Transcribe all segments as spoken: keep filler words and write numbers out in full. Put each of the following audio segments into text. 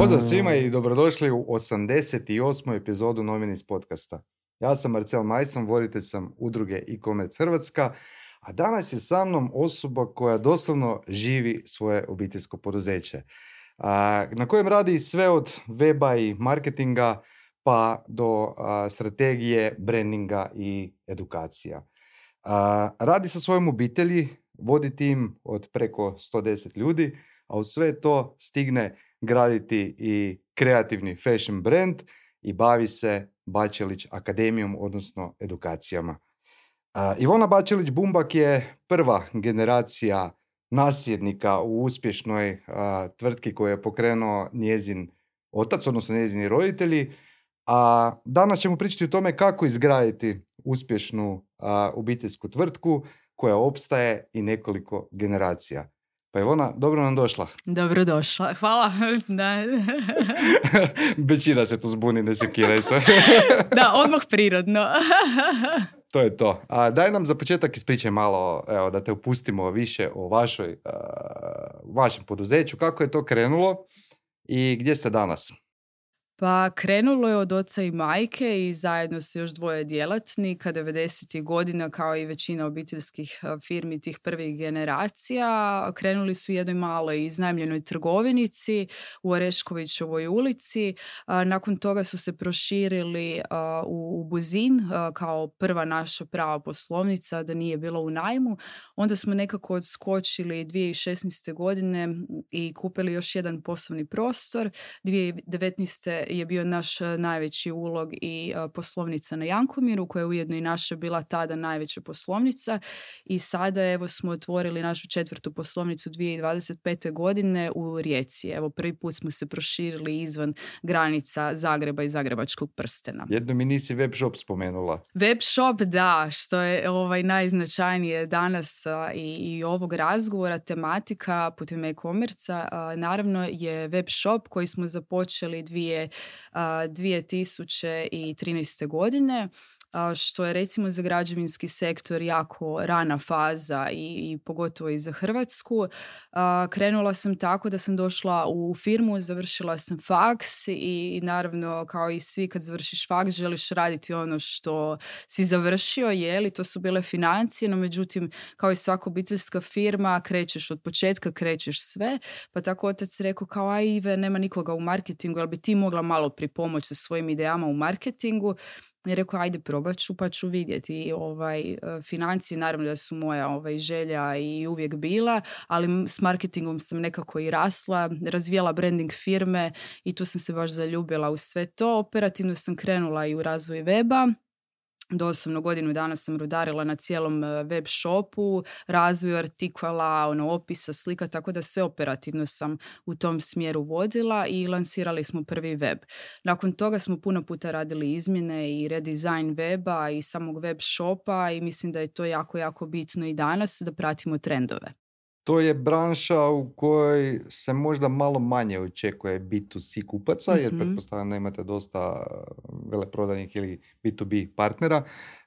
Pozdrav svima i dobrodošli u osamdeset osmu epizodu Nominis podcasta. Ja sam Marcel Majson, voditelj sam udruge e-commerce Hrvatska, a danas je sa mnom osoba koja doslovno živi svoje obiteljsko poduzeće, a, na kojem radi sve od weba i marketinga pa do a, strategije, brandinga i edukacija. A, radi sa svojom obitelji, vodi tim od preko sto deset ljudi, a u sve to stigne graditi i kreativni fashion brand i bavi se Bačelić akademijom, odnosno edukacijama. Uh, Ivona Bačelić-Bumbak je prva generacija nasljednika u uspješnoj uh, tvrtki koju je pokrenuo njezin otac, odnosno njezini roditelji. A danas ćemo pričati o tome kako izgraditi uspješnu uh, obiteljsku tvrtku koja opstaje i nekoliko generacija. Pa Ivona, dobro nam došla. Dobro došla, hvala. Da. Većina se tu zbuni, ne sekiraj se. Da, odmah prirodno. To je to. A daj nam za početak ispričaj malo, evo, da te upustimo više o vašoj, uh, vašem poduzeću, kako je to krenulo i gdje ste danas? Pa krenulo je od oca i majke i zajedno su još dvoje djelatnika devedesetih godina, kao i većina obiteljskih firmi tih prvih generacija. Krenuli su u jednoj maloj iznajmljenoj trgovinici u Oreškovićevoj ulici. Nakon toga su se proširili u Buzin kao prva naša prava poslovnica, da nije bilo u najmu. Onda smo nekako odskočili dvije tisuće šesnaeste. godine i kupili još jedan poslovni prostor. dvije tisuće devetnaeste je bio naš najveći ulog i uh, poslovnica na Jankomiru, koja je ujedno i naša bila tada najveća poslovnica, i sada evo smo otvorili našu četvrtu poslovnicu dvije tisuće dvadeset pete. godine u Rijeci. Evo prvi put smo se proširili izvan granica Zagreba i Zagrebačkog prstena. Jedno mi nisi web shop spomenula. Web shop, da, što je ovaj najznačajnije danas uh, i, i ovog razgovora, tematika putem e-commerce, uh, naravno je web shop koji smo započeli dvije dvije tisuće trinaeste. godine, što je recimo za građevinski sektor jako rana faza i, i pogotovo i za Hrvatsku. Krenula sam tako da sam došla u firmu, završila sam faks i, i naravno kao i svi kad završiš faks želiš raditi ono što si završio, jeli, to su bile financije, no međutim kao i svaka obiteljska firma krećeš od početka, krećeš sve, pa tako otac rekao kao aj Ive, nema nikoga u marketingu, ali bi ti mogla malo pripomoći sa svojim idejama u marketingu. I rekao, ajde probat ću pa ću vidjeti. I, ovaj, financije naravno da su moja ovaj, želja i uvijek bila, ali s marketingom sam nekako i rasla, razvijala branding firme i tu sam se baš zaljubila u sve to. Operativno sam krenula i u razvoj weba. Doslovno godinu dana sam rudarila na cijelom web shopu, razvoju artikala, ono, opisa, slika, tako da sve operativno sam u tom smjeru vodila i lansirali smo prvi web. Nakon toga smo puno puta radili izmjene i redizajn weba i samog web shopa i mislim da je to jako, jako bitno i danas da pratimo trendove. To je branša u kojoj se možda malo manje očekuje B to C kupaca, jer mm-hmm. pretpostavljam da imate dosta veleprodajnih ili B to B partnera.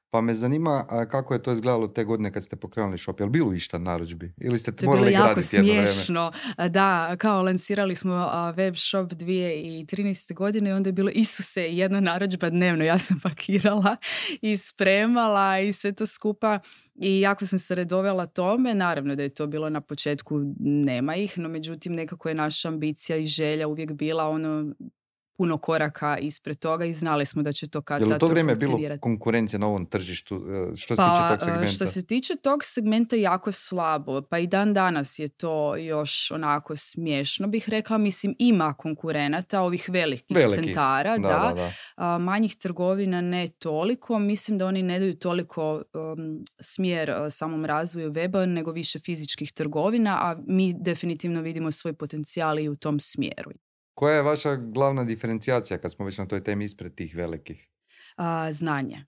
Pa me zanima kako je to izgledalo te godine kad ste pokrenuli shop. Je li bilo išta narudžbi? Ili ste to morali graditi jedno vrijeme? To je bilo jako smiješno. Da, kao lansirali smo web shop dvije tisuće trinaeste. godine i onda je bilo Isuse, jedna narudžba dnevno. Ja sam pakirala i spremala i sve to skupa. I jako sam se redovela tome, naravno da je to bilo na početku, nema ih, no međutim nekako je naša ambicija i želja uvijek bila ono puno koraka ispred toga i znali smo da će to kad tad funkcionirati. Je li u to vrijeme bilo konkurencija na ovom tržištu što se pa, tiče tog segmenta? Što se tiče tog segmenta jako slabo, pa i dan danas je to još onako smiješno bih rekla, mislim ima konkurenata ovih velikih Veliki. centara, da, da. da, da. A, manjih trgovina ne toliko, mislim da oni ne daju toliko um, smjer uh, samom razvoju weba nego više fizičkih trgovina, a mi definitivno vidimo svoj potencijal i u tom smjeru. Koja je vaša glavna diferencijacija kad smo već na toj temi ispred tih velikih? A, znanje.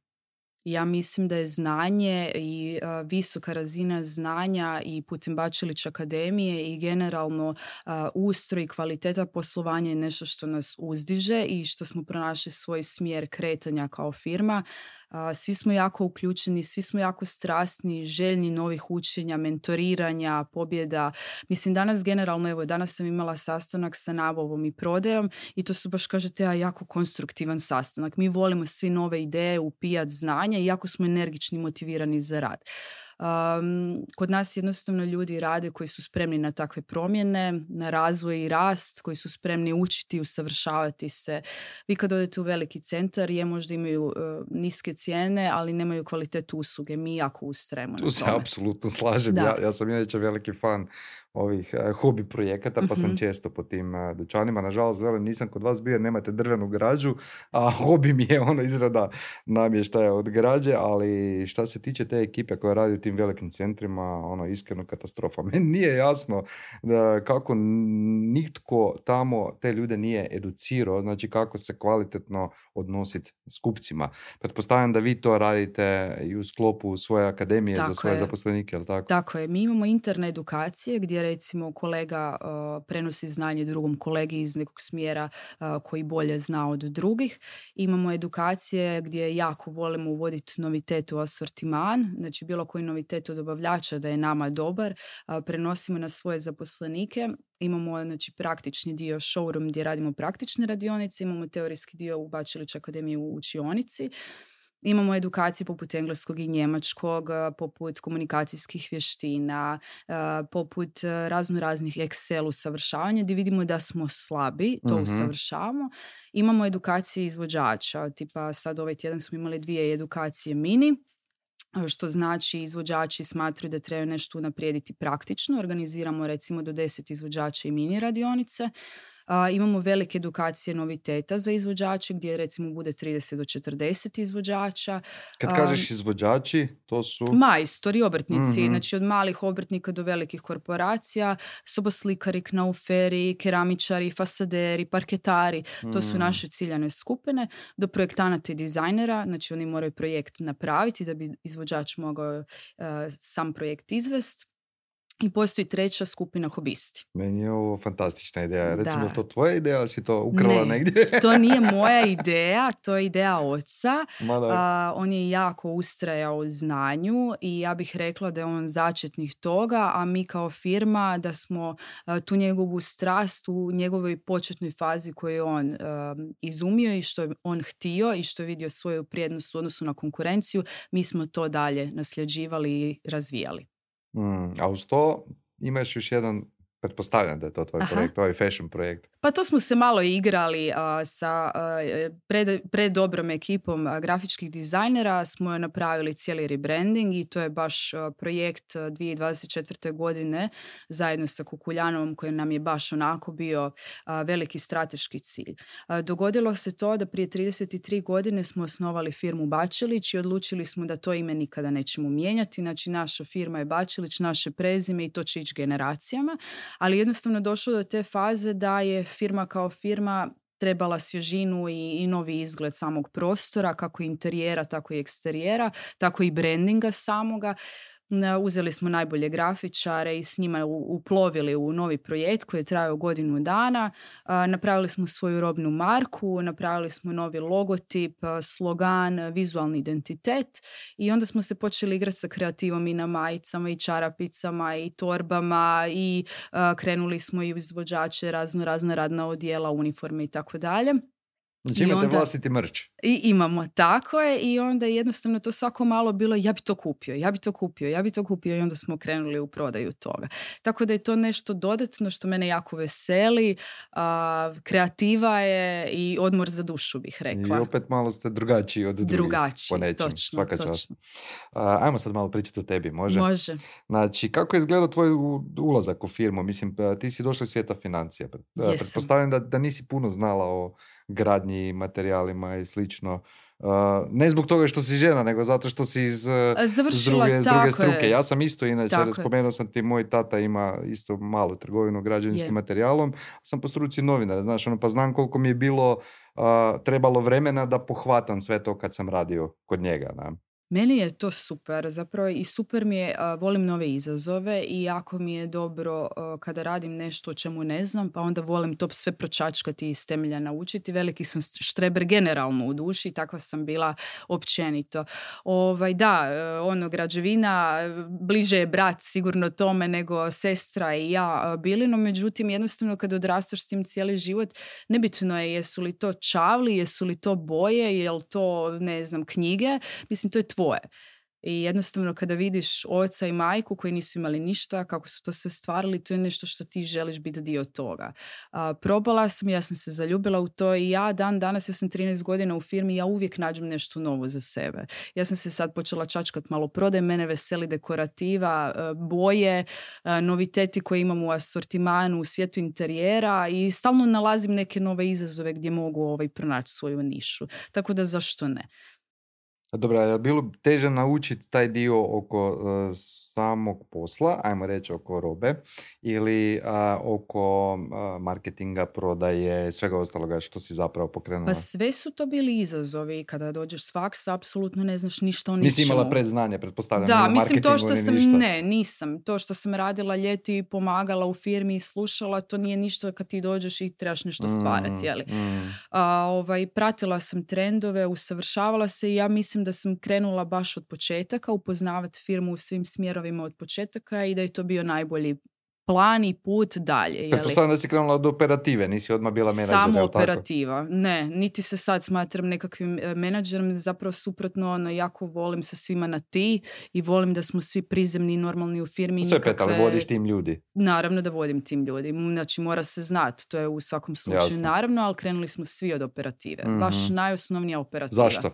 Ja mislim da je znanje i a, visoka razina znanja i putem Bačelić akademije i generalno a, ustroj i kvaliteta poslovanja je nešto što nas uzdiže i što smo pronašli svoj smjer kretanja kao firma. A, svi smo jako uključeni, svi smo jako strasni, željni novih učenja, mentoriranja, pobjeda. Mislim, danas generalno, evo, danas sam imala sastanak sa nabavom i prodajom i to su baš, kažete, ja, jako konstruktivan sastanak. Mi volimo svi nove ideje, upijat znanja i jako smo energični, motivirani za rad. Um, kod nas jednostavno ljudi rade koji su spremni na takve promjene, na razvoj i rast, koji su spremni učiti, usavršavati se. Vi kad odete u veliki centar, je možda imaju uh, niske cijene, ali nemaju kvalitetu usluge. Mi jako ustrajemo na tome. Tu se apsolutno slažem. Ja, ja sam inače veliki fan ovih uh, hobi projekata, pa uh-huh. sam često po tim uh, dućanima. Nažalost, velim, nisam kod vas bio jer nemate drvenu građu, a hobi mi je ono izrada namještaja od građe, ali šta se tiče te ekipe koja radi u tim velikim centrima, ono, iskreno katastrofa. Meni nije jasno da kako nitko tamo te ljude nije educirao, znači kako se kvalitetno odnositi s kupcima. Pretpostavljam da vi to radite i u sklopu svoje akademije tako za svoje je. zaposlenike, je li tako? Tako je. Mi imamo interne edukacije gdje recimo kolega uh, prenosi znanje drugom kolegi iz nekog smjera uh, koji bolje zna od drugih. Imamo edukacije gdje jako volimo uvoditi novitet u asortiman, znači bilo koji novitet od dobavljača da je nama dobar, uh, prenosimo na svoje zaposlenike. Imamo znači, praktični dio showroom gdje radimo praktične radionice, imamo teorijski dio u Bačelić akademiji u učionici. Imamo edukacije poput engleskog i njemačkog, poput komunikacijskih vještina, poput razno raznih Excel usavršavanja gdje vidimo da smo slabi, to mm-hmm. usavršavamo. Imamo edukacije izvođača, tipa sad ovaj tjedan smo imali dvije edukacije mini, što znači izvođači smatraju da trebaju nešto unaprijediti praktično. Organiziramo recimo do deset izvođača i mini radionice. Uh, imamo velike edukacije noviteta za izvođače gdje recimo bude trideset do četrdeset izvođača. Kad kažeš izvođači, to su... Majstori, obrtnici, mm-hmm. znači od malih obrtnika do velikih korporacija, soboslikari, knauferi, keramičari, fasaderi, parketari, mm. to su naše ciljane skupine, do projektanata i dizajnera, znači oni moraju projekt napraviti da bi izvođač mogao uh, sam projekt izvesti. I postoji treća skupina hobisti. Meni je ovo fantastična ideja. Recimo, da. To tvoja ideja ili si to ukrala ne, negdje? To nije moja ideja, to je ideja oca. Uh, on je jako ustrajao u znanju i ja bih rekla da je on začetnik toga, a mi kao firma da smo uh, tu njegovu strast u njegovoj početnoj fazi koju je on uh, izumio i što je on htio i što je vidio svoju prijednost u odnosu na konkurenciju, mi smo to dalje nasljeđivali i razvijali. Mm, a uz to imaš još jedan, pretpostavljam da je to tvoj Aha. projekt, ovaj fashion projekt. Pa to smo se malo igrali uh, sa uh, pred, pred dobrom ekipom uh, grafičkih dizajnera, smo napravili cijeli rebranding i to je baš uh, projekt uh, dvije tisuće dvadeset četvrte. godine zajedno sa Kukuljanovom koji nam je baš onako bio uh, veliki strateški cilj. Uh, dogodilo se to da prije trideset tri godine smo osnovali firmu Bačelić i odlučili smo da to ime nikada nećemo mijenjati. Znači naša firma je Bačelić, naše prezime i to će ići generacijama, ali jednostavno došlo do te faze da je firma kao firma trebala svježinu i, i novi izgled samog prostora, kako interijera, tako i eksterijera, tako i brandinga samoga. Uzeli smo najbolje grafičare i s njima uplovili u novi projekt koji je trajao godinu dana. Napravili smo svoju robnu marku, napravili smo novi logotip, slogan, vizualni identitet i onda smo se počeli igrati sa kreativom i na majicama i čarapicama i torbama i krenuli smo i u izvođače razno razna radna odjela, uniforme i tako dalje. Znači imate onda, vlastiti merch. I imamo, tako je. I onda jednostavno to svako malo bilo ja bi to kupio, ja bi to kupio, ja bi to kupio i onda smo krenuli u prodaju toga. Tako da je to nešto dodatno što mene jako veseli. Uh, kreativa je i odmor za dušu bih rekla. I opet malo ste drugačiji od drugih. Drugačiji, po nečem, točno. Svaka točno. čast. Uh, ajmo sad malo pričati o tebi, može? Može. Znači, kako je izgledao tvoj ulazak u firmu? Mislim, ti si došla iz svijeta financija. Jesam. Pretpostavljam da, da nisi puno znala o gradnji, materijalima i slično. Uh, ne zbog toga što si žena, nego zato što si iz, Završila, z druge, z druge struke. Je. Ja sam isto, inače, tako spomenuo sam ti, moj tata ima isto malu trgovinu građevinskim je. materijalom. Sam po struci novinar, znaš, ono, pa znam koliko mi je bilo uh, trebalo vremena da pohvatam sve to kad sam radio kod njega. Ne? Meni je to super, zapravo i super mi je, a, volim nove izazove i jako mi je dobro a, kada radim nešto o čemu ne znam, pa onda volim to sve pročačkati i iz temelja naučiti. Veliki sam štreber generalno u duši, takva sam bila općenito. Ovaj, da, e, ono, građevina, e, bliže je brat sigurno tome nego sestra i ja a, bili, no međutim jednostavno kad odrastaš s tim cijeli život, nebitno je jesu li to čavli, jesu li to boje, jel to, ne znam, knjige, mislim to je tvoje. I jednostavno kada vidiš oca i majku koji nisu imali ništa, kako su to sve stvarali, to je nešto što ti želiš biti dio toga. A, probala sam, ja sam se zaljubila u to i ja dan danas, ja sam trinaest godina u firmi, ja uvijek nađem nešto novo za sebe. Ja sam se sad počela čačkat malo prodaj, mene veseli dekorativa, e, boje, e, noviteti koje imamo u asortimanu, u svijetu interijera i stalno nalazim neke nove izazove gdje mogu ovaj, pronaći svoju nišu. Tako da zašto ne? A dobro, je li bilo teže naučiti taj dio oko uh, samog posla, ajmo reći oko robe, ili uh, oko uh, marketinga, prodaje, svega ostaloga što si zapravo pokrenula? Pa sve su to bili izazovi. Kada dođeš s faksa, apsolutno ne znaš ništa o ničemu. Nisi imala predznanje, pretpostavljam, Da, ni u mislim to marketingu, što ni sam, ništa. ne, nisam. To što sam radila ljeti i pomagala u firmi i slušala, to nije ništa kad ti dođeš i trebaš nešto stvarati, jeli? Mm, mm. A, ovaj, pratila sam trendove, usavršavala se i ja mislim da sam krenula baš od početaka, upoznavati firmu u svim smjerovima od početaka i da je to bio najbolji plan i put dalje. Jeli? Pretpostavljam da si krenula od operative, nisi odmah bila menadžer, Samo jel tako? operativa. Ne, niti se sad smatram nekakvim e, menadžerom, zapravo suprotno, ono, jako volim sa svima na ti i volim da smo svi prizemni i normalni u firmi. Sve nikakve- pet, ali vodiš tim ljudi. Naravno da vodim tim ljudi. Znači mora se znati, to je u svakom slučaju Jasno. naravno, ali krenuli smo svi od operative. Mhm. Baš najosnovnija operativa. Zašto?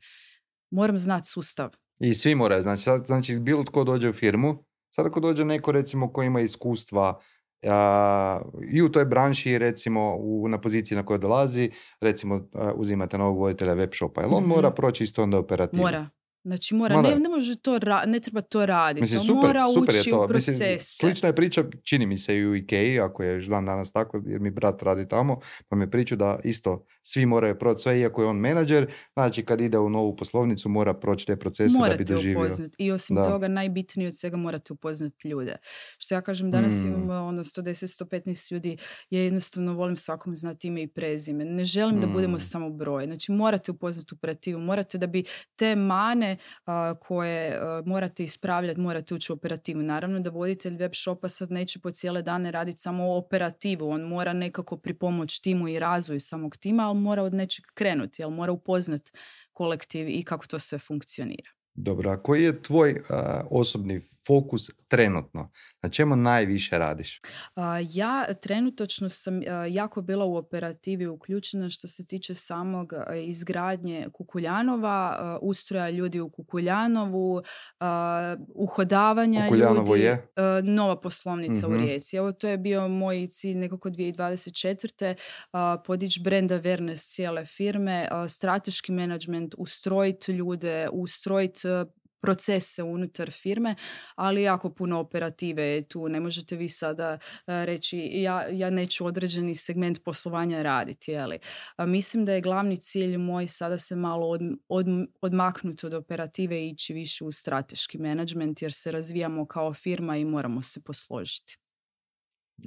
Moram znati sustav. I svi moraju, znači, sad, znači bilo tko dođe u firmu, sad ako dođe neko recimo ko ima iskustva a, i u toj branši recimo u, na poziciji na kojoj dolazi, recimo a, uzimate novog voditelja web shopa, jel on Mhm. mora proći isto onda operativu? Mora. Znači mora, Mora. Ne, ne može to ra- ne treba to raditi. Mislim, To super, mora super je ući to. u Mislim, procese. slična je priča, čini mi se i u Ikei, ako je još dan danas tako, jer mi brat radi tamo, pa mi priču da isto svi moraju proći sve, iako je on menadžer, znači kad ide u novu poslovnicu mora proći te procese da bi Morate doživio. upoznati. I osim Da. toga, najbitnije od svega morate upoznati ljude. Što ja kažem, danas Mm. imamo ono sto deset do sto petnaest ljudi, ja jednostavno volim svakom znati ime i prezime. Ne želim da budemo Mm. samo broj. Znači morate upoznati operativu, morate da bi te mane a, koje a, morate ispravljati, morate ući u operativu. Naravno da voditelj web shopa sad neće po cijele dane raditi samo operativu, on mora nekako pripomoći timu i razvoju samog tima, ali mora od nečeg krenuti, ali mora upoznati kolektiv i kako to sve funkcionira. Dobro, a koji je tvoj a, osobni fokus trenutno? Na čemu najviše radiš? A, Ja trenutačno sam a, jako bila u operativi uključena što se tiče samog a, izgradnje Kukuljanova, a, ustroja ljudi u Kukuljanovu, a, uhodavanja Kukuljanovo ljudi, je? a, nova poslovnica Mhm. u Rijeci. Evo to je bio moj cilj nekako dvije tisuće dvadeset četvrte. a, podići brand awareness cijele firme, a, strateški menadžment, ustrojiti ljude, ustrojiti a, procese unutar firme, ali jako puno operative je tu. Ne možete vi sada e, reći ja, ja neću određeni segment poslovanja raditi. Jeli? A mislim da je glavni cilj moj sada se malo od, od, odmaknuti od operative i ići više u strateški menadžment jer se razvijamo kao firma i moramo se posložiti.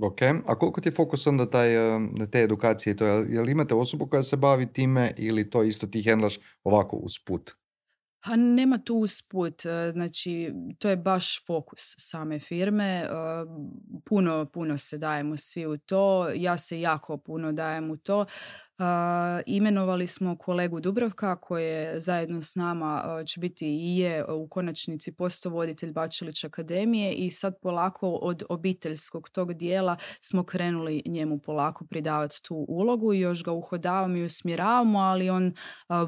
Ok, a koliko ti je fokus onda taj, a, na te edukacije i to? Jel, jel imate osobu koja se bavi time ili to isto ti hendlaš ovako usput? A nema tu usput, e, znači to je baš fokus same firme, e, puno, puno se dajemo svi u to, ja se jako puno dajem u to. Uh, imenovali smo kolegu Dubravka koji je zajedno s nama uh, će biti i je u konačnici postovoditelj Bačelić akademije i sad polako od obiteljskog tog dijela smo krenuli njemu polako pridavati tu ulogu i još ga uhodavamo i usmjeravamo, ali on uh,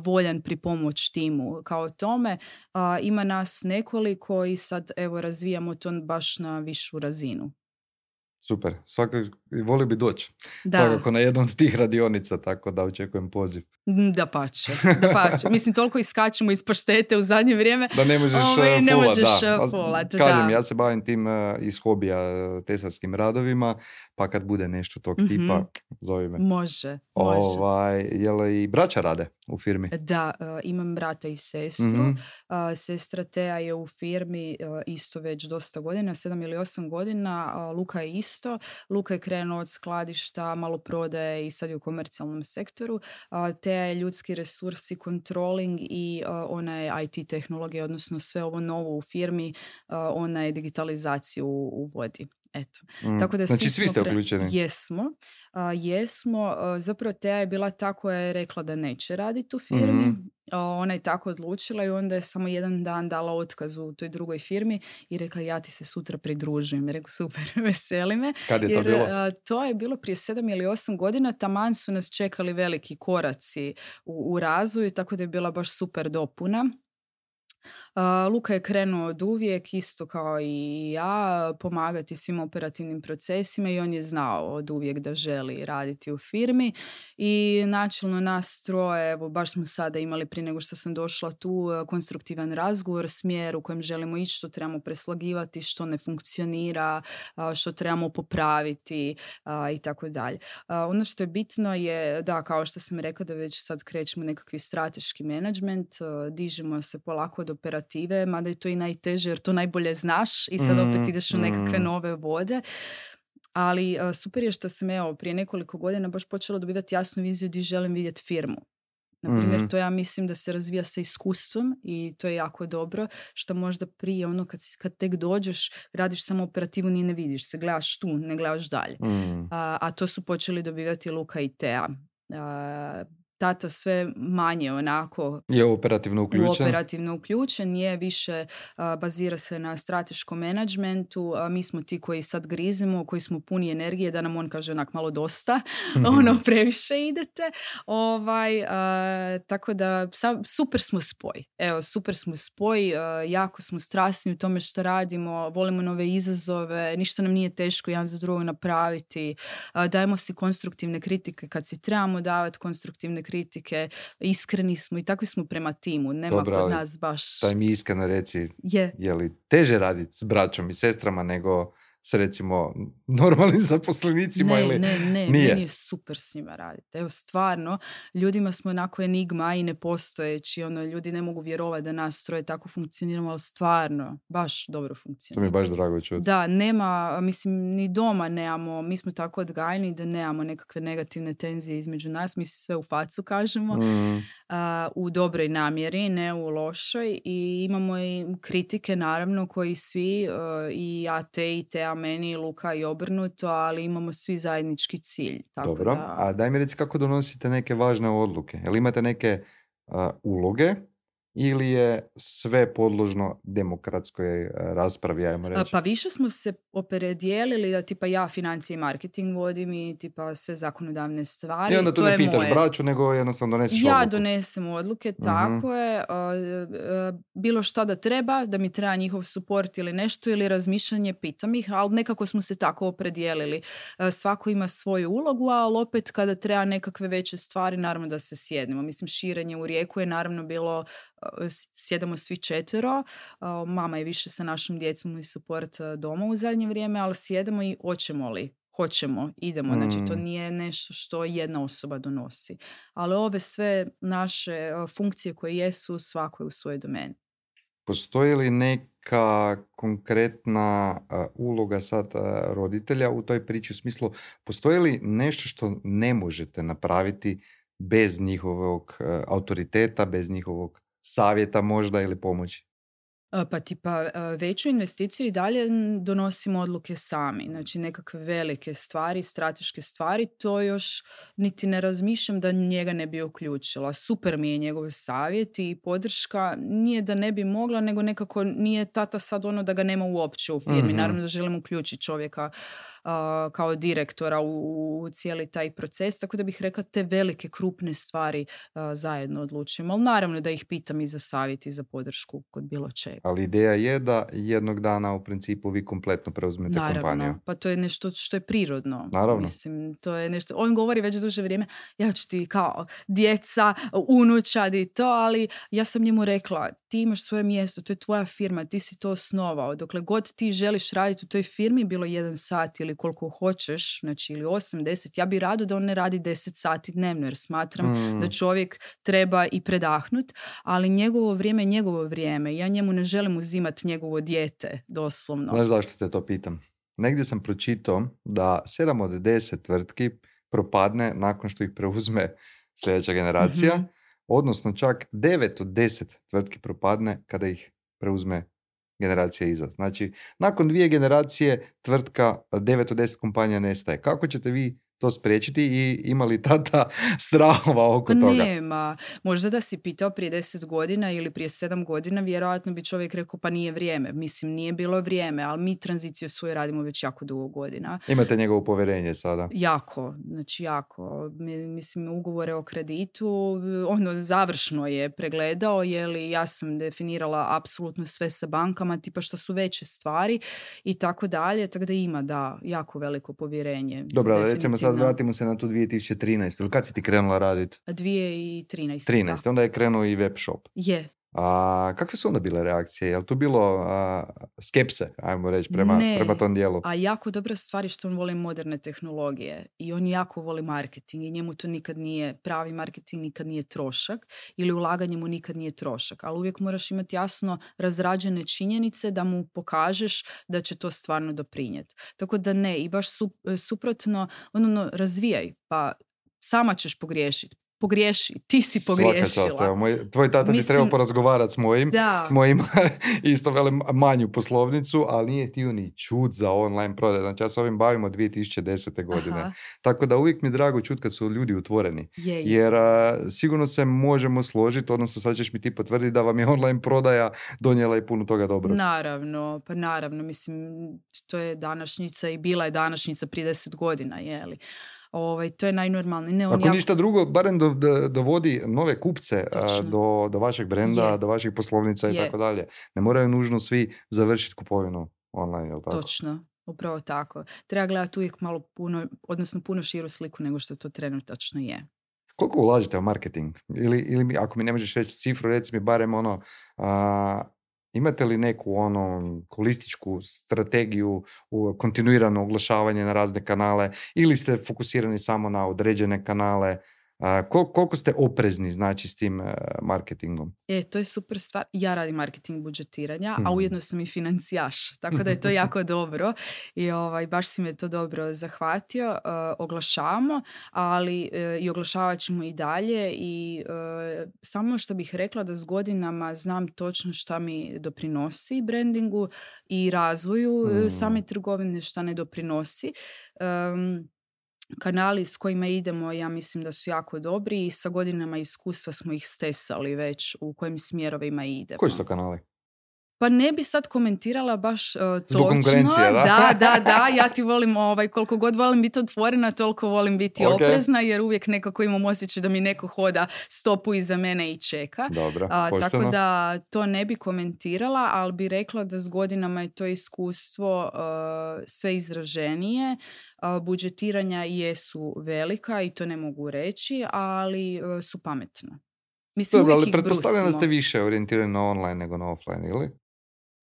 voljan pripomoć timu kao tome. Uh, ima nas nekoliko i sad evo razvijamo to baš na višu razinu. Super, svakako volio bi doći. Da. Svakako na jednu od tih radionica, tako da očekujem poziv. Da pače, da pače. Mislim, toliko iskačemo iz paštete u zadnje vrijeme. Da ne možeš Ove, ne fulat, možeš da. fulat, Kažem, da. ja se bavim tim uh, iz hobija uh, tesarskim radovima, pa kad bude nešto tog Mm-hmm. tipa, zovi me. Može, može. Ovaj, jel i braća rade u firmi? Da, uh, imam brata i sestru. Mm-hmm. Uh, sestra Teja je u firmi uh, isto već dosta godina, sedam ili osam godina. Uh, Luka je isto. Luka je krenuo od skladišta, malo prodaje i sad je u komercijalnom sektoru. Uh, Teja je ljudski resursi, controlling i uh, ona je I T tehnologija, odnosno sve ovo novo u firmi, uh, ona je digitalizaciju uvodi. Eto. Mm. Tako da znači svi, svi ste uključeni? Jesmo. Uh, jesmo. Uh, zapravo Teja je bila ta koja je rekla da neće raditi u firmi. Mm-hmm. Uh, ona je tako odlučila i onda je samo jedan dan dala otkaz u toj drugoj firmi i rekla ja ti se sutra pridružujem. Rekao super, veseli me. Kad je jer, to bilo? Uh, to je bilo prije sedam ili osam godina. Taman su nas čekali veliki koraci u, u razvoju, tako da je bila baš super dopuna. Uh, Luka je krenuo od uvijek, isto kao i ja, pomagati svim operativnim procesima i on je znao od uvijek da želi raditi u firmi i načelno nas troje, evo baš smo sada imali prije nego što sam došla tu konstruktivan razgovor, smjer u kojem želimo ići, što trebamo preslagivati, što ne funkcionira, što trebamo popraviti i tako dalje. Ono što je bitno je, da, kao što sam rekla, da već sad krećemo nekakvi strateški menadžment, dižemo se polako od operative, mada je to i najteže jer to najbolje znaš i sad opet ideš u nekakve nove vode. Ali uh, super je što sam evo prije nekoliko godina baš počela dobivati jasnu viziju gdje želim vidjeti firmu. Naprimjer, mm-hmm. to ja mislim da se razvija sa iskustvom i to je jako dobro, što možda prije ono kad, kad tek dođeš, radiš samo operativu ni ne vidiš se, gledaš tu, ne gledaš dalje. Mm. A, a to su počeli dobivati Luka i Teja. A, tata sve manje onako je operativno uključen. operativno uključen, je više uh, bazira se na strateškom menadžmentu, uh, mi smo ti koji sad grizemo, koji smo puni energije da nam on kaže onak malo dosta, ono previše idete, ovaj, uh, tako da sa, super smo spoj, evo super smo spoj, uh, jako smo strasni u tome što radimo, volimo nove izazove, ništa nam nije teško jedan za drugo napraviti, uh, dajemo si konstruktivne kritike kad si trebamo davati konstruktivne kritike, iskreni smo i takvi smo prema timu, nema Dobra, kod nas baš... Daj mi iskreno reci, je, je li teže raditi s braćom i sestrama nego s recimo normalnim zaposlenicima ne, ili ne, ne, nije? meni je super s njima raditi. Evo stvarno, ljudima smo onako enigma i nepostojeći, ono, ljudi ne mogu vjerovati da nas troje tako funkcioniramo, ali stvarno, baš dobro funkcionira. To mi je baš drago čuti. Da, nema, mislim, ni doma nemamo, mi smo tako odgajani da nemamo nekakve negativne tenzije između nas, mi sve u facu kažemo, mm. uh, u dobroj namjeri, ne u lošoj, i imamo i kritike naravno koji svi, uh, i ja te i te, a meni, Luka i obrnuto, ali imamo svi zajednički cilj. Tako Dobro, da... a daj mi reci kako donosite neke važne odluke. Jel imate neke uh, uloge ili je sve podložno demokratskoj uh, raspravi, ajmo reći? Pa više smo se opredijelili da tipa ja financije i marketing vodim i tipa sve zakonodavne stvari. I onda tu to ne pitaš moje. braću, nego jednostavno doneseš ja odluku. Ja donesem odluke, tako uh-huh. je. Uh, uh, bilo šta da treba, da mi treba njihov suport ili nešto, ili razmišljanje, pitam ih, ali nekako smo se tako opredijelili. Uh, svako ima svoju ulogu, ali opet kada treba nekakve veće stvari, naravno da se sjednemo. Mislim, širenje u Rijeku je naravno bilo, uh, sjedamo svi četvero, uh, mama je više sa našom djecom i support uh, doma u zadnje vrijeme, ali sjedemo i hoćemo li, hoćemo, idemo. Mm. Znači, to nije nešto što jedna osoba donosi. Ali ove sve naše uh, funkcije koje jesu, svako je u svojoj domeni. Postoji li neka konkretna uh, uloga sad uh, roditelja u toj priči, u smislu, postoji li nešto što ne možete napraviti bez njihovog uh, autoriteta, bez njihovog savjeta možda ili pomoći? Pa tipa veću investiciju i dalje donosimo odluke sami. Znači nekakve velike stvari, strateške stvari, to još niti ne razmišljam da njega ne bi uključila. Super mi je njegov savjet i podrška. Nije da ne bi mogla, nego nekako nije tata sad ono da ga nema uopće u firmi. Mm-hmm. Naravno da želim uključiti čovjeka uh, kao direktora u, u cijeli taj proces, tako da bih rekla te velike, krupne stvari uh, zajedno odlučujemo. Ali naravno da ih pitam i za savjet i za podršku kod bilo čega. Ali ideja je da jednog dana u principu vi kompletno preuzmete Naravno, kompaniju. pa to je nešto što je prirodno. Naravno. Mislim, to je nešto, on govori već duže vrijeme, ja ću ti kao djeca, unučad i to, ali ja sam njemu rekla, ti imaš svoje mjesto, to je tvoja firma, ti si to osnovao. Dokle god ti želiš raditi u toj firmi, bilo jedan sat ili koliko hoćeš, znači ili osam, deset, ja bi rado da on ne radi deset sati dnevno, jer smatram Mm. da čovjek treba i predahnut, ali njegovo vrijeme je njegovo vrijeme. Ja njemu ne želim uzimati njegovo dijete, doslovno. Znaš zašto te to pitam? Negdje sam pročitao da sedam od deset tvrtki propadne nakon što ih preuzme sljedeća generacija, Mhm. odnosno čak devet od deset tvrtki propadne kada ih preuzme generacija iza. Znači, nakon dvije generacije tvrtka, devet od deset kompanija nestaje. Kako ćete vi to spriječiti i ima li tata strahova oko Pa toga? nema. Možda da si pitao prije deset godina ili prije sedam godina, vjerojatno bi čovjek rekao pa nije vrijeme. Mislim, nije bilo vrijeme, ali mi tranziciju svoju radimo već jako dugo godina. Imate njegovo povjerenje sada. Jako, znači jako. Mi- Mislim, ugovore o kreditu, ono završno je pregledao, je li ja sam definirala apsolutno sve sa bankama, tipa što su veće stvari i tako dalje, tako da ima, da, jako veliko povjerenje. Dobro, ali recimo sad definitivno. vratimo se na tu dvije tisuće trinaestu. Ili kad si ti krenula raditi? dvije tisuće trinaeste. trinaest. Onda je krenuo i web shop. Je. A kakve su onda bile reakcije? Je li tu bilo a, skepse, ajmo reći, prema, Ne. prema tom dijelu? A jako dobra stvar je što on voli moderne tehnologije i on jako voli marketing i njemu to nikad nije, pravi marketing nikad nije trošak ili ulaganje mu nikad nije trošak, ali uvijek moraš imati jasno razrađene činjenice da mu pokažeš da će to stvarno doprinijeti. Tako da ne, i baš su, suprotno, ono, razvijaj, pa sama ćeš pogriješiti. Pogriješi, ti si Svaka čast, pogriješila. evo, moj, tvoj tata bi Mislim- trebao porazgovarati s mojim. Da. Moj ima isto velim manju poslovnicu, ali nije htio ni čut za online prodaj. Znači ja se ovim bavim od dvije tisuće desete godine. Aha, Tako da uvijek mi je drago čut kad su ljudi otvoreni. je, je. Jer a, sigurno se možemo složiti, odnosno sad ćeš mi ti potvrditi da vam je online prodaja donijela i puno toga dobro. Naravno, pa naravno, mislim, to je današnjica i bila je današnjica prije deset godina, je li? Ovaj, to je najnormalnije. Ne, on Ako jako- ništa drugo, barem do, do, dovodi nove kupce a, Točno. do, do vašeg brenda, Je. do vaših poslovnica i Je. tako dalje. Ne moraju nužno svi završiti kupovinu online, jel tako? Točno, upravo tako. Treba gledati uvijek malo puno, odnosno puno širu sliku nego što to trenutačno je. Koliko ulažete u marketing? Ili, ili mi, ako mi ne možeš reći cifru, reci mi barem ono, a, imate li neku ono holističku strategiju u kontinuirano oglašavanje na razne kanale ili ste fokusirani samo na određene kanale? A, kol- koliko ste oprezni znači s tim a, marketingom? E, to je super stvar. Ja radim marketing budžetiranja, a Hmm. ujedno sam i financijaš, tako da je to jako dobro i ovaj, baš si me to dobro zahvatio. Uh, oglašavamo, ali uh, i oglašavat ćemo i dalje i uh, samo što bih rekla da s godinama znam točno šta mi doprinosi brandingu i razvoju uh, Hmm. same trgovine, šta ne doprinosi. Um, Kanali s kojima idemo, ja mislim da su jako dobri i sa godinama iskustva smo ih stesali već u kojim smjerovima idemo. Koji su to kanali? Pa ne bi sad komentirala baš uh, točno. Zbog konkurencije, da? Da, da, da, ja ti volim, ovaj, koliko god volim biti otvorena, toliko volim biti Ok. oprezna, jer uvijek nekako imam osjećaj da mi neko hoda stopu iza mene i čeka. Dobro, A, pošteno. tako da to ne bi komentirala, ali bi rekla da s godinama je to iskustvo uh, sve izraženije. Uh, budžetiranja jesu velika i to ne mogu reći, ali uh, su pametna. Mislim, Dobro, uvijek ali ih pretpostavljam da brusimo. ste više orijentirani na online nego na offline, ili?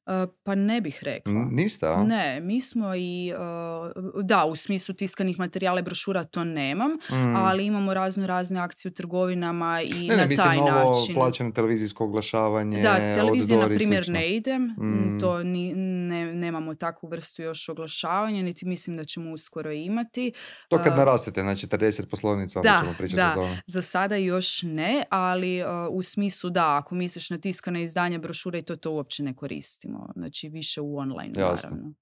Uh, pa ne bih rekla. N- Niste, a? Ne, mi smo i, uh, da, u smislu tiskanih materijala i brošura to nemam, Mm. ali imamo razno razne akcije u trgovinama i Ne, ne, na mislim taj novo način. plaćeno televizijsko oglašavanje, Da, televizija na outdoor i primjer slično. ne idem, Mm. to ni, ne, nemamo takvu vrstu još oglašavanja, niti mislim da ćemo uskoro imati. To kad Uh, narastete na četrdeset poslovnica, onda da, ćemo pričati da. o tome. Za sada još ne, ali uh, u smislu da, ako misliš na tiskane izdanja brošure i to, to uopće ne koristimo. Znači više u online, Jasno. naravno.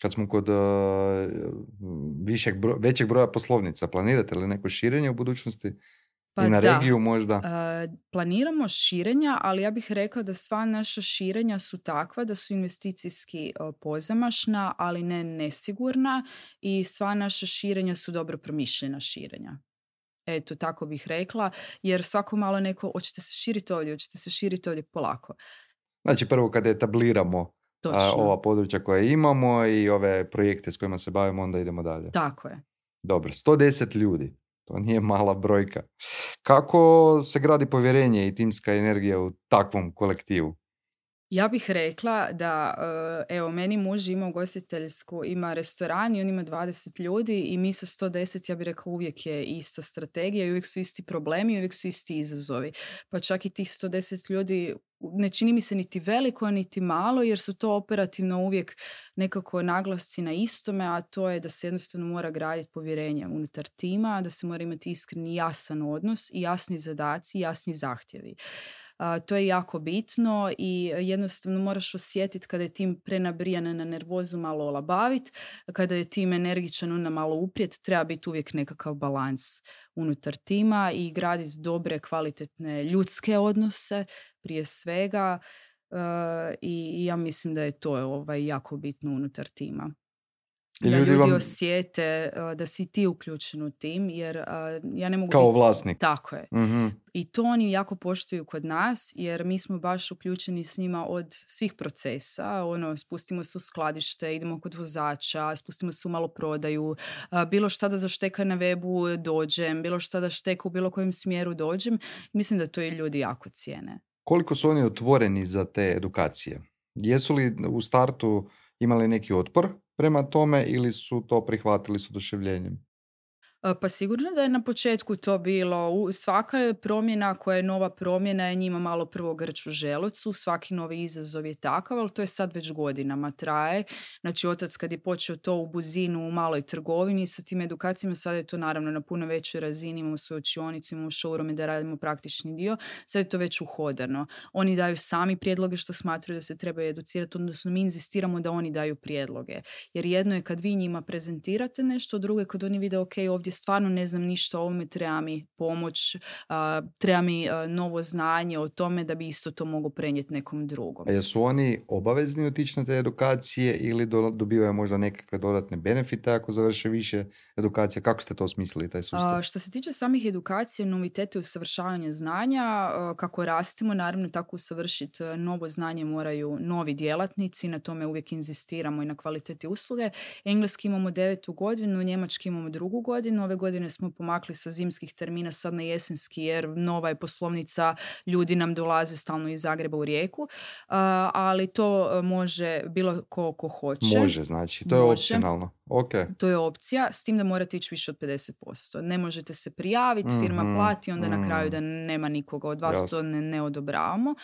Kad smo kod uh, višeg bro- većeg broja poslovnica, planirate li neko širenje u budućnosti? Pa I na da, regiju možda? uh, planiramo širenja, ali ja bih rekla da sva naša širenja su takva da su investicijski uh, pozamašna, ali ne nesigurna i sva naša širenja su dobro promišljena širenja. Eto, tako bih rekla, jer svako malo neko, hoćete se širiti ovdje, hoćete se širiti ovdje polako. Znači prvo kada etabliramo a, ova područja koja imamo i ove projekte s kojima se bavimo, onda idemo dalje. Tako je. Dobro, sto deset ljudi. To nije mala brojka. Kako se gradi povjerenje i timska energija u takvom kolektivu? Ja bih rekla da, evo, meni muž ima ugostiteljsku, ima restoran i on ima dvadeset ljudi i mi sa sto deset, ja bih rekla, uvijek je ista strategija i uvijek su isti problemi i uvijek su isti izazovi. Pa čak i tih sto deset ljudi ne čini mi se niti veliko, niti malo, jer su to operativno uvijek nekako naglasci na istome, a to je da se jednostavno mora graditi povjerenje unutar tima, da se mora imati iskreni jasan odnos i jasni zadaci, jasni zahtjevi. Uh, to je jako bitno i jednostavno moraš osjetiti kada je tim prenabrijan na nervozu malo olabavit, kada je tim energičan onda malo uprijet, treba biti uvijek nekakav balans unutar tima i graditi dobre, kvalitetne ljudske odnose prije svega uh, i, i ja mislim da je to ovaj, jako bitno unutar tima. I da ljudi, ljudi vam... osjete uh, da si ti uključen u tim, jer uh, ja ne mogu kao biti... vlasnik. Tako je. Mm-hmm. I to oni jako poštuju kod nas, jer mi smo baš uključeni s njima od svih procesa. Ono, spustimo se u skladište, idemo kod vozača, spustimo se u maloprodaju, uh, bilo šta da zašteka na webu dođem, bilo šta da šteka u bilo kojem smjeru dođem. Mislim da to i ljudi jako cijene. Koliko su oni otvoreni za te edukacije? Jesu li u startu imali neki otpor prema tome ili su to prihvatili s oduševljenjem? Pa sigurno da je na početku to bilo. Svaka promjena koja je nova promjena je njima malo prvo grč u želucu, svaki novi izazov je takav, ali to je sad već godinama traje. Znači otac kad je počeo to u Buzinu, u maloj trgovini sa tim edukacijama, sad je to naravno na puno većoj razini, imamo svoju učionicu, imamo showroome da radimo praktični dio, sad je to već uhodano. Oni daju sami prijedloge što smatraju da se trebaju educirati, odnosno mi inzistiramo da oni daju prijedloge. Jer jedno je kad vi njima prezentirate nešto, drugo je kad oni vide ok, ovdje stvarno ne znam ništa o ovome, treba mi pomoć, uh, treba mi uh, novo znanje o tome da bi isto to mogu prenijeti nekom drugom. A jesu oni obavezni otići na te edukacije ili do, dobivaju možda nekakve dodatne benefite ako završe više edukacija? Kako ste to smislili, taj sustav? Uh, što se tiče samih edukacija, novitete i usavršavanja znanja, uh, kako rastimo, naravno tako usavršiti uh, novo znanje moraju novi djelatnici, na tome uvijek inzistiramo i na kvaliteti usluge. Engleski imamo devetu godinu, njemački imamo drugu godinu. Ove godine smo pomakli sa zimskih termina sad na jesenski, jer nova je poslovnica, ljudi nam dolaze stalno iz Zagreba u Rijeku, uh, ali to može bilo ko, ko hoće. Može, znači, to je može. Opcionalno. Okay. To je opcija, s tim da morate ići više od pedeset posto. Ne možete se prijaviti, firma mm-hmm. plati, onda mm-hmm. na kraju da nema nikoga od vas, Jasne. To ne, ne odobravamo.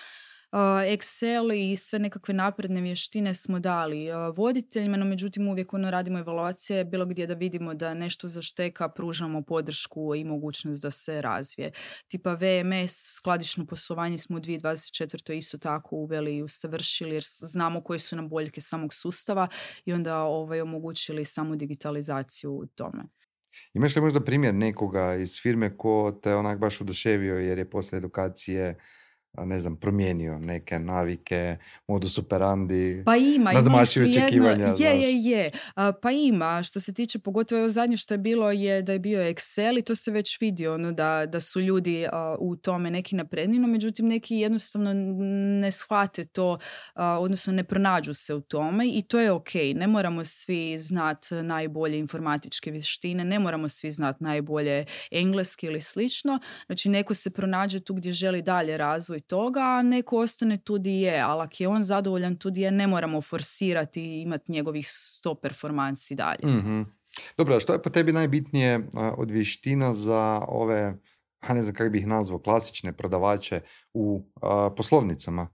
Uh, Excel i sve nekakve napredne vještine smo dali uh, voditeljima, no međutim uvijek ono radimo evaluacije bilo gdje da vidimo da nešto zašteka, pružamo podršku i mogućnost da se razvije. Tipa V M S, skladišno poslovanje smo u dvije tisuće dvadeset četvrtoj isto tako uveli i usavršili jer znamo koje su nam boljke samog sustava i onda ovaj, omogućili samu digitalizaciju u tome. Imaš li možda primjer nekoga iz firme ko te onak baš oduševio jer je posle edukacije ne znam, promijenio neke navike, modus operandi, pa ima, nadmašio očekivanja? Je, je, je. Uh, pa ima, što se tiče, pogotovo ovo zadnje što je bilo je da je bio Excel i to se već vidio, ono, da, da su ljudi uh, u tome neki napredni, no međutim neki jednostavno ne shvate to, uh, odnosno ne pronađu se u tome i to je ok. Ne moramo svi znati najbolje informatičke vještine, ne moramo svi znati najbolje engleski ili slično, znači neko se pronađe tu gdje želi dalje razvoj toga, a neko ostane tu di je, ali ako je on zadovoljan tu di je, ne moramo forsirati i imati njegovih sto performansi dalje. Mm-hmm. Dobro, a što je po tebi najbitnije uh, od vještina za ove, a ne znam kako bih ih nazvao, klasične prodavače u uh, poslovnicama?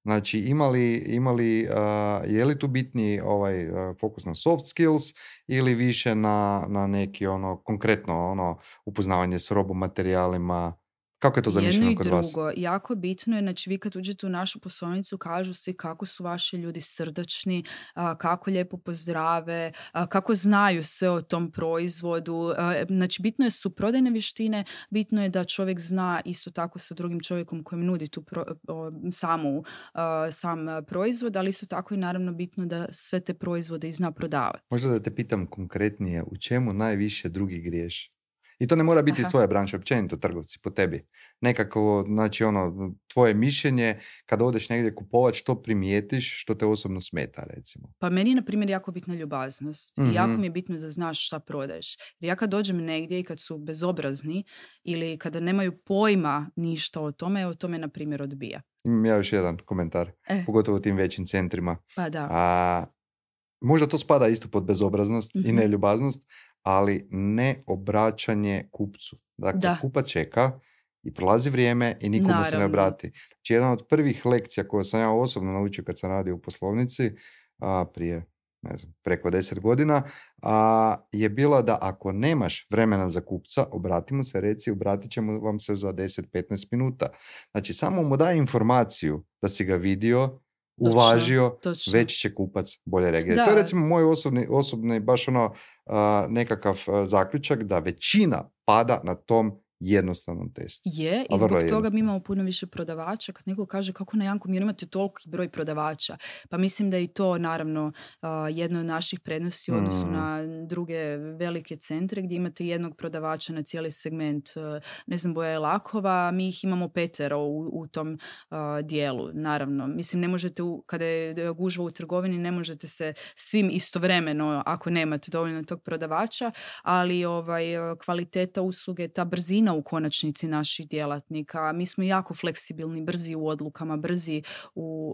Znači, imali, imali, uh, je li tu bitniji ovaj, uh, fokus na soft skills ili više na, na neki ono konkretno ono, upoznavanje s robomaterijalima, Kako je to Jedno zamišljeno i kod vas? drugo. Jako bitno je, znači vi kad uđete u našu poslovnicu kažu svi kako su vaši ljudi srdačni, a, kako lijepo pozdrave, a, kako znaju sve o tom proizvodu. A, znači bitno je su prodajne vještine, bitno je da čovjek zna isto tako sa drugim čovjekom kojem nudi tu pro, o, samu, a, sam a, proizvod, ali isto tako i naravno bitno da sve te proizvode i zna prodavati. Možda da te pitam konkretnije, u čemu najviše drugi griješi? I to ne mora biti iz Aha. tvoje branše, općenito trgovci, po tebi. Nekako, znači ono, tvoje mišljenje, kada odeš negdje kupovat, što primijetiš, što te osobno smeta, recimo. Pa meni je, na primjer, jako bitna ljubaznost. I Mhm. jako mi je bitno da znaš šta prodaješ. Jer ja kad dođem negdje i kad su bezobrazni ili kada nemaju pojma ništa o tome, o tome, na primjer, odbija. Imam ja još jedan komentar, E, pogotovo u tim većim centrima. pa da. A, možda to spada isto pod bezobraznost i Mhm. neljubaznost, ali ne obraćanje kupcu. Dakle, Da. kupac čeka i prolazi vrijeme i nikomu se ne Naravno. obrati. Znači, jedna od prvih lekcija koje sam ja osobno naučio kad sam radio u poslovnici, a, prije ne znam, preko deset godina, a, je bila da ako nemaš vremena za kupca, obrati mu se, reci, obratit ćemo vam se za deset do petnaest minuta. Znači, samo mu daj informaciju da si ga vidio, uvažio, točno. već će kupac bolje reagirati. To je Da. recimo moj osobni, osobni baš ono a, nekakav a, zaključak da većina pada na tom jednostavnom testu. Je, A i vrlo zbog je toga mi jednostavno. imamo puno više prodavača. Kad neko kaže kako na Jankom jer imate toliki broj prodavača. Pa mislim da je i to naravno a, jedno od naših prednosti u odnosu Mm. na druge velike centre gdje imate jednog prodavača na cijeli segment, a, ne znam, boja i lakova, mi ih imamo petero u, u tom a, dijelu, naravno. Mislim, ne možete, u, kada je gužva u trgovini, ne možete se svim istovremeno, ako nemate dovoljno tog prodavača, ali ovaj, kvaliteta usluge, ta brzina u konačnici naših djelatnika. Mi smo jako fleksibilni, brzi u odlukama, brzi u,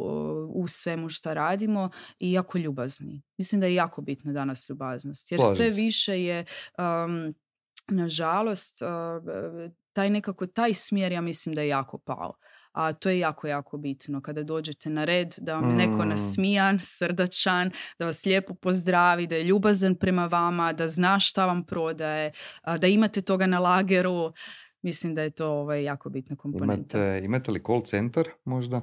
u svemu što radimo i jako ljubazni. Mislim da je jako bitno danas ljubaznost. Jer Slažem sve se. više je, um, nažalost, uh, taj nekako, taj smjer ja mislim da je jako pao. A to je jako, jako bitno. Kada dođete na red, da vam je neko Mm. nasmijan, srdačan, da vas lijepo pozdravi, da je ljubazan prema vama, da zna šta vam prodaje, a, da imate toga na lageru. Mislim da je to ovaj, jako bitna komponenta. Imate, imate li call center možda?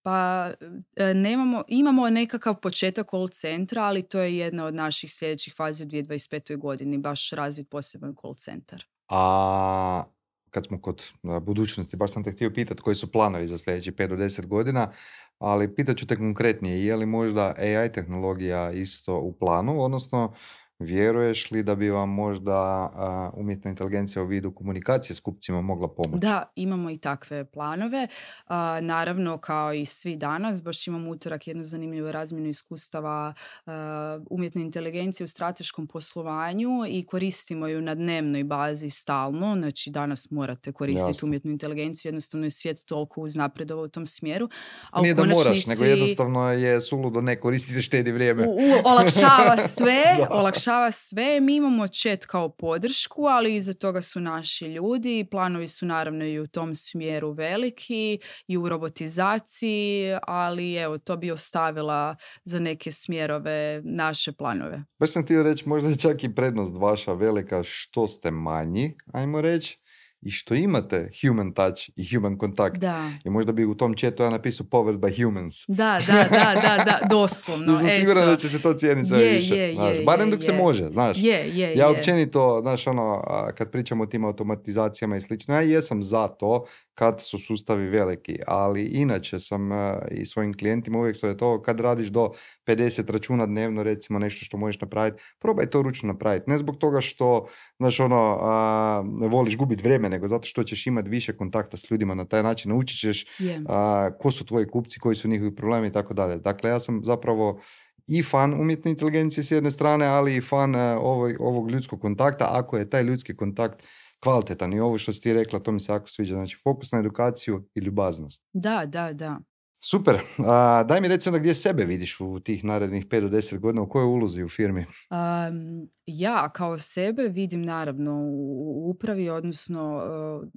Pa e, nemamo, imamo nekakav početak call centra, ali to je jedna od naših sljedećih fazi u dvije tisuće dvadeset petoj godini, baš razvit poseban call centar. A kad smo kod a, budućnosti, baš sam te htio pitati koji su planovi za sljedećih pet do deset godina, ali pitat ću te konkretnije, je li možda A I tehnologija isto u planu, odnosno vjeruješ li da bi vam možda a, umjetna inteligencija u vidu komunikacije s kupcima mogla pomoći? Da, imamo i takve planove. A, naravno, kao i svi danas, baš imamo utorak jednu zanimljivu razmjenu iskustava a, umjetne inteligencije u strateškom poslovanju i koristimo ju na dnevnoj bazi stalno. Znači, danas morate koristiti Jasno. umjetnu inteligenciju, jednostavno je svijet toliko uznapredovao u tom smjeru. A Nije u da moraš, konačnici nego jednostavno je suludo ne koristiti, štedi vrijeme. u, u, olakšava sve, Da. olakšava sve. Mi imamo chat kao podršku, ali iza toga su naši ljudi. Planovi su naravno i u tom smjeru veliki i u robotizaciji, ali evo, to bi ostavila za neke smjerove naše planove. Baš sam htio reći, možda je čak i prednost vaša velika što ste manji, ajmo reći, i što imate human touch i human kontakt. Da. I možda bi u tom chatu ja napisao powered by humans. Da, da, da, da, da, doslovno. Ja sam siguran eto. da će se to cijeniti sve Je, više. je, znaš. je, Barem je, dok se je. može, znaš. Je, je, Ja je. općenito, znaš, ono, a, kad pričamo o tim automatizacijama i slično, ja jesam za to kad su sustavi veliki, ali inače sam a, i svojim klijentima uvijek savjetovao kad radiš do pedeset računa dnevno, recimo nešto što možeš napraviti, probaj to ručno napraviti. Ne zbog toga što, znaš, ono, a, voliš gubiti vrijeme, nego zato što ćeš imati više kontakta s ljudima na taj način, naučit ćeš Je. a, ko su tvoji kupci, koji su njihovi problemi i tako dalje. Dakle, ja sam zapravo i fan umjetne inteligencije s jedne strane, ali i fan a, ovog, ovog ljudskog kontakta, ako je taj ljudski kontakt kvalitetan. I ovo što si ti rekla, to mi se jako sviđa. Znači, fokus na edukaciju i ljubaznost. Da, da, da. Super. A, daj mi reci onda gdje sebe vidiš u tih narednih pet do deset godina, u kojoj ulozi u firmi? Um, ja kao sebe vidim naravno u u upravi, odnosno uh,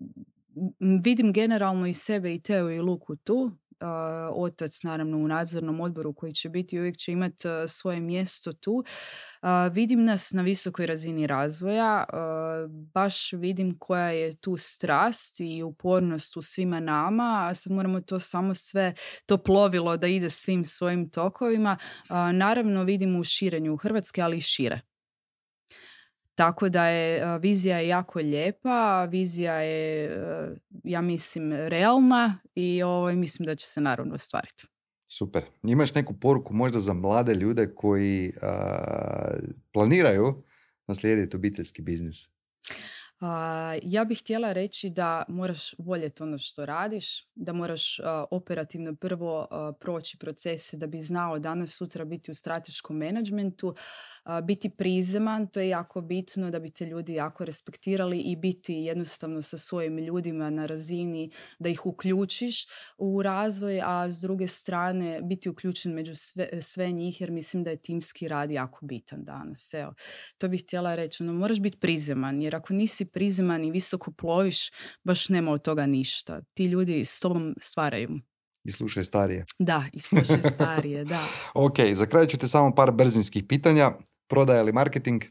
m- vidim generalno i sebe i Teo i Luku tu. otac naravno u nadzornom odboru koji će biti, uvijek će imati uh, svoje mjesto tu. Uh, vidim nas na visokoj razini razvoja, uh, baš vidim koja je tu strast i upornost u svima nama, a sad moramo to samo sve, to plovilo da ide svim svojim tokovima. Uh, naravno vidim u širenju Hrvatske, ali i šire. Tako da je vizija je jako lijepa, vizija je, ja mislim, realna i ovaj, mislim da će se naravno ostvariti. Super. Imaš neku poruku možda za mlade ljude koji a, planiraju naslijediti obiteljski biznis? Uh, ja bih htjela reći da moraš voljeti ono što radiš, da moraš uh, operativno prvo uh, proći procese da bi znao danas sutra biti u strateškom menadžmentu, uh, biti prizeman, to je jako bitno da bi te ljudi jako respektirali i biti jednostavno sa svojim ljudima na razini da ih uključiš u razvoj, a s druge strane biti uključen među sve, sve njih jer mislim da je timski rad jako bitan danas. Evo, to bih htjela reći, no, moraš biti prizeman jer ako nisi prizeman i visoko ploviš, baš nema od toga ništa. Ti ljudi s tobom stvaraju. I slušaj starije. Da, i slušaj starije, da. Ok, za kraj ću te samo par brzinskih pitanja. Prodaja ili marketing?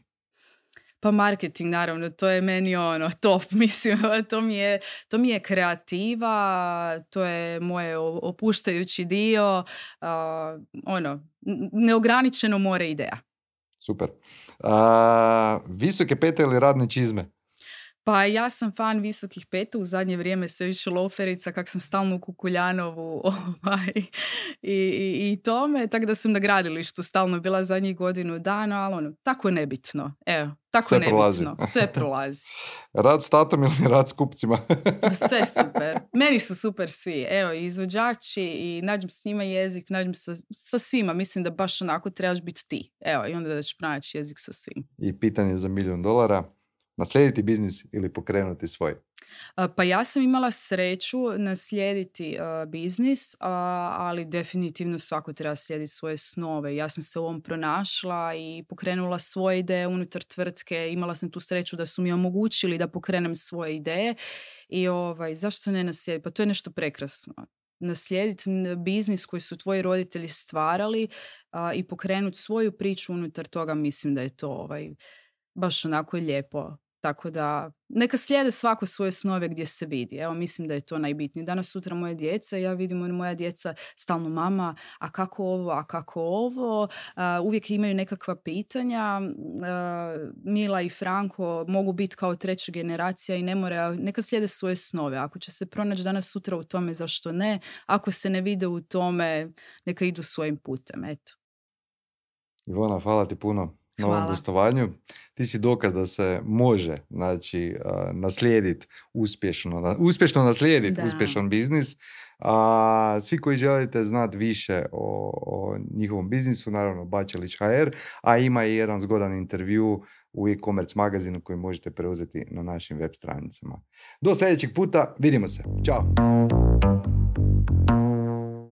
Pa marketing, naravno, to je meni ono top, mislim, to mi je, to mi je kreativa, to je moje opuštajući dio, uh, ono, neograničeno more ideja. Super. Uh, visoke pete ili radne čizme? Pa ja sam fan visokih peta, u zadnje vrijeme sve više loferica, kak sam stalno u Kukuljanovu ovaj, i, i, i tome, tako da sam na gradilištu stalno bila zadnjih godinu dana, ali ono, tako nebitno, evo, tako sve nebitno, prolazi. Sve prolazi. Rad s tatom ili rad s kupcima? Sve super, meni su super svi, evo, izvođači i nađem s njima jezik, nađem sa, sa svima, mislim da baš onako trebaš biti ti, evo, i onda da ćeš pronaći jezik sa svim. I pitanje za milijon dolara. Naslijediti biznis ili pokrenuti svoj? Pa ja sam imala sreću naslijediti uh, biznis, uh, ali definitivno svako treba slijediti svoje snove. Ja sam se u ovom pronašla i pokrenula svoje ideje unutar tvrtke. Imala sam tu sreću da su mi omogućili da pokrenem svoje ideje i ovaj, zašto ne naslijediti? Pa to je nešto prekrasno. Naslijediti biznis koji su tvoji roditelji stvarali uh, i pokrenuti svoju priču unutar toga, mislim da je to ovaj, baš onako lijepo. Tako da neka slijede svako svoje snove gdje se vidi. Evo, mislim da je to najbitnije. Danas sutra moje djeca, ja vidim moja djeca stalno mama, a kako ovo, a kako ovo. Uh, uvijek imaju nekakva pitanja. Uh, Mila i Franko mogu biti kao treća generacija i ne mora, neka slijede svoje snove. Ako će se pronaći danas sutra u tome, zašto ne? Ako se ne vide u tome, neka idu svojim putem. Eto. Ivona, hvala ti puno na ovom gostovanju. Ti si dokaz da se može, znači, uh, naslijediti uspješno, na, uspješno naslijediti da. uspješan biznis. A svi koji želite znati više o, o njihovom biznisu, naravno Bačelić ha er, a ima i jedan zgodan intervju u e-commerce magazinu koji možete preuzeti na našim web stranicama. Do sljedećeg puta, vidimo se. Ćao!